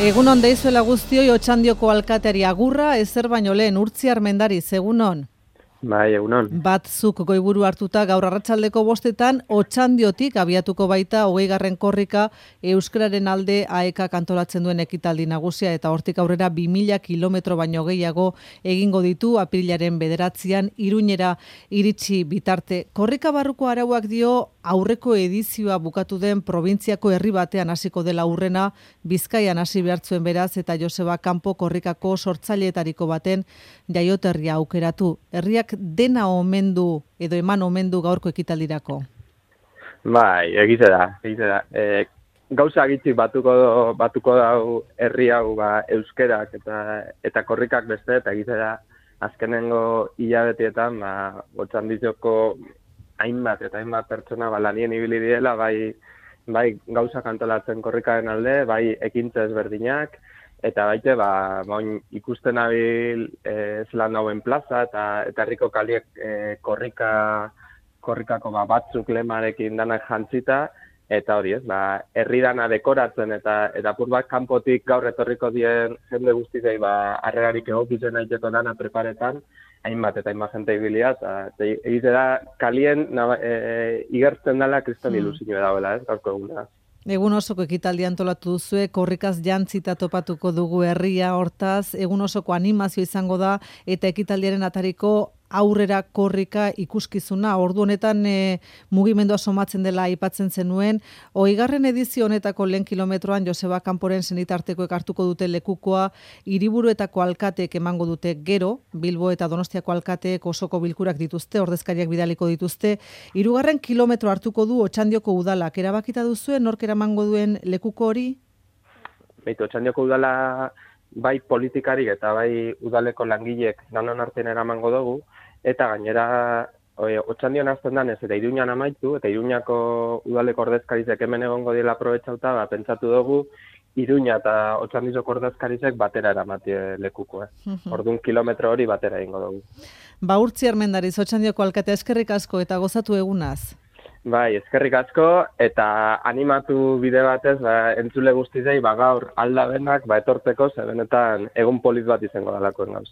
Egunon deizuela guztioi, Otxandioko alkateari agurra, ezer baino lehen Urtziar Mendariz, egunon. Bai, egunon. Batzuk goiburu hartuta gaur arratsaldeko 5:00 Otxandiotik abiatuko baita 20. korrika euskararen alde AEKak antolatzen duen ekitaldi nagusia eta hortik aurrera 2000 kilometro baino gehiago egingo ditu apirilaren 9an Iruñera iritsi bitarte. Korrika barruko arauak dio aurreko edizioa bukatu den probintziako herri batean hasiko dela aurrena, Bizkaian hasi behartzuen beraz eta Joseba Kanpo korrikako sortzaileetariko baten jaioterria aukeratu. Herriak dena omendu edo eman omendu gaurko ekitaldirako? Bai, egize da. Gauza gitzik batuko dau herri hau euskerak eta korrikak beste, eta egize da azkenengo hilabetietan Otxandioko hainbat pertsona lanien ibili direla, bai gauza antolatzen korrikaren alde, bai ekintza ezberdinak, eta baite, ikusten abil zelan dauen plaza, eta herriko kaliek korrikako batzuk lemarekin danak jantzita, eta hori ez, herri dana dekoratzen, eta apur bat kanpotik gaur etorriko dien jende guztizei harrerarik egokitzen aiteko dana preparetan, hainbat jente ibilia, eta egite da kalien igertzen dela kriston ilusio dagoela, ez, gaurko eguna. Egun osoko ekitaldia antolatu duzue, korrikaz jantzita topatuko dugu herria, hortaz, egun osoko animazio izango da, eta ekitaldiaren atariko aurrera korrika ikuskizuna. Ordu honetan mugimendua somatzen dela aipatzen zenuen. 20. edizio honetako lehen kilometroan Joseba Kanporen senitartekoek hartuko dute lekukoa, hiriburuetako alkateek emango dute gero, Bilbo eta Donostiako alkateek osoko bilkurak dituzte, ordezkariak bidaliko dituzte. 3. kilometro hartuko du Otxandioko udalak. Erabakita duzue, nork eramango duen lekuko hori? Otxandioko udala bai politikarik eta bai udaleko langilek danon artean eramango dugu, eta gainera Otxandion azten danez eta Iruñan amaitu, eta Iruñako udaleko ordezkarizek hemen egongo dira aprobetxauta, pentsatu dugu Iruña eta Otxandizoko ordezkarizek batera eramatie lekuko. Orduan kilometro hori batera egingo dugu. Urtziar Mendariz, Otxandioko alkatea, eskerrik asko eta gozatu egunaz. Bai, eskerrik asko, eta animatu bide batez, entzule guztizei, gaur aldabenak, etortzeko, ze benetan egun polit bat izango dalakoen gauz.